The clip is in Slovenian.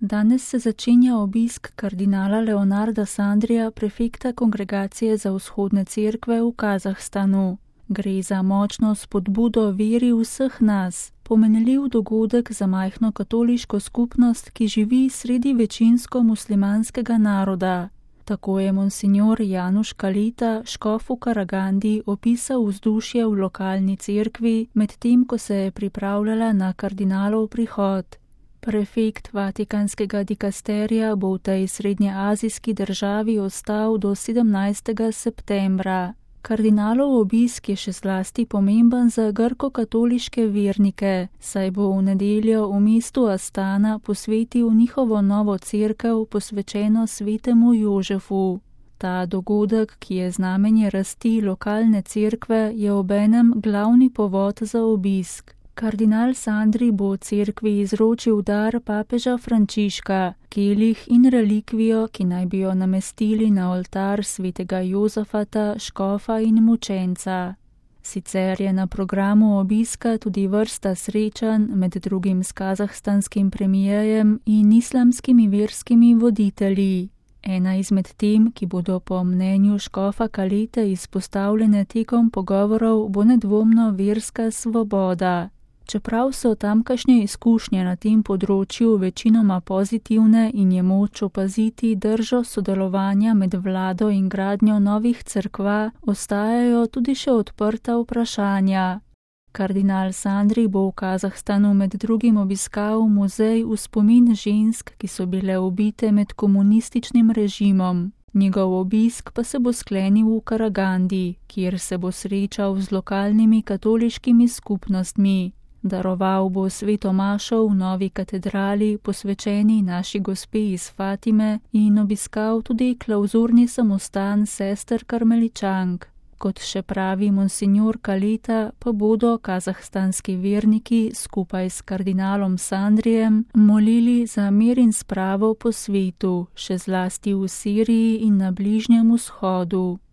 Danes se začenja obisk kardinala Leonarda Sandrija, prefekta Kongregacije za vzhodne cerkve v Kazahstanu. Gre za močno spodbudo veri vseh nas, pomenljiv dogodek za majhno katoliško skupnost, ki živi sredi večinsko muslimanskega naroda. Tako je monsignor Januš Kaleta, škof v Karagandi, opisal vzdušje v lokalni cerkvi, medtem ko se je pripravljala na kardinalov prihod. Prefekt Vatikanskega dikasterija bo v tej srednjeazijski državi ostal do 17. septembra. Kardinalov obisk je še zlasti pomemben za grko-katoliške vernike, saj bo v nedeljo v mestu Astana posvetil njihovo novo cerkev, posvečeno svetemu Jožefu. Ta dogodek, ki je znamenje rasti lokalne cerkve, je obenem glavni povod za obisk. Kardinal Sandri bo cerkvi izročil dar papeža Frančiška, kelih in relikvijo, ki naj bi jo namestili na oltar svetega Jozafata, škofa in mučenca. Sicer je na programu obiska tudi vrsta srečanj, med drugim s kazahstanskim premijerjem in islamskimi verskimi voditelji. Ena izmed tem, ki bodo po mnenju škofa Kalete izpostavljene tekom pogovorov, bo nedvomno verska svoboda. Čeprav so tamkajšnje izkušnje na tem področju večinoma pozitivne in je moč opaziti držo sodelovanja med vlado in gradnjo novih cerkva, ostajajo tudi še odprta vprašanja. Kardinal Sandri bo v Kazahstanu med drugim obiskal muzej v spomin žensk, ki so bile ubite med komunističnim režimom. Njegov obisk pa se bo sklenil v Karagandi, kjer se bo srečal z lokalnimi katoliškimi skupnostmi. Daroval bo sveto mašo v novi katedrali, posvečeni naši gospe iz Fatime, in obiskal tudi klavzurni samostan sester karmeličank. Kot še pravi monsignor Kaleta, pa bodo kazahstanski verniki skupaj s kardinalom Sandrijem molili za mir in spravo po svetu, še zlasti v Siriji in na Bližnjem vzhodu.